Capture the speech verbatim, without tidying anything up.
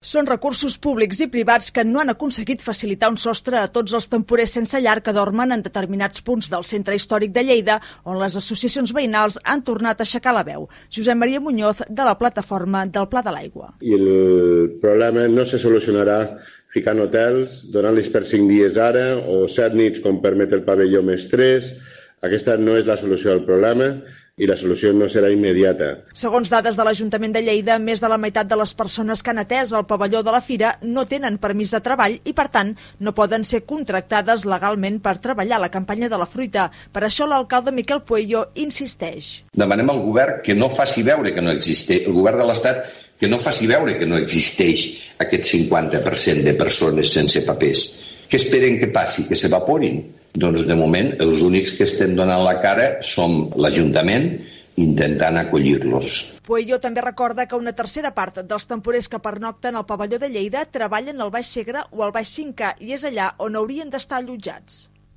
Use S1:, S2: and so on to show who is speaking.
S1: Són recursos públics i privats que no han aconseguit facilitar un sostre a tots els temporers sense llar que dormen en determinats punts del centre històric de Lleida, on les associacions veïnals han tornat a aixecar la veu. Josep Maria Muñoz, de la plataforma del Pla de l'Aigua.
S2: I el problema no se solucionarà ficant hotels, donant-los per cinc dies ara o set nits com permet el pavelló més tres. Aquesta no és la solució al problema i la solució no serà immediata.
S1: Segons dades de l'Ajuntament de Lleida, més de la meitat de les persones que han atès al pavelló de la Fira no tenen permís de treball i, per tant, no poden ser contractades legalment per treballar a la campanya de la fruita. Per això l'alcalde Miquel Pueyo insisteix.
S3: Demanem al govern que no faci veure que no existeix, el govern de l'Estat que no faci veure que no existeix aquest cinquanta per cent de persones sense papers. Què esperen que passi? Que s'evaporin? Doncs de moment els únics que estem donant la cara som l'Ajuntament intentant acollir-los.
S1: Pueyo també recorda que una tercera part dels temporers que pernocten al pavelló de Lleida treballen al Baix Segre o al Baix cinc K i és allà on haurien d'estar allotjats.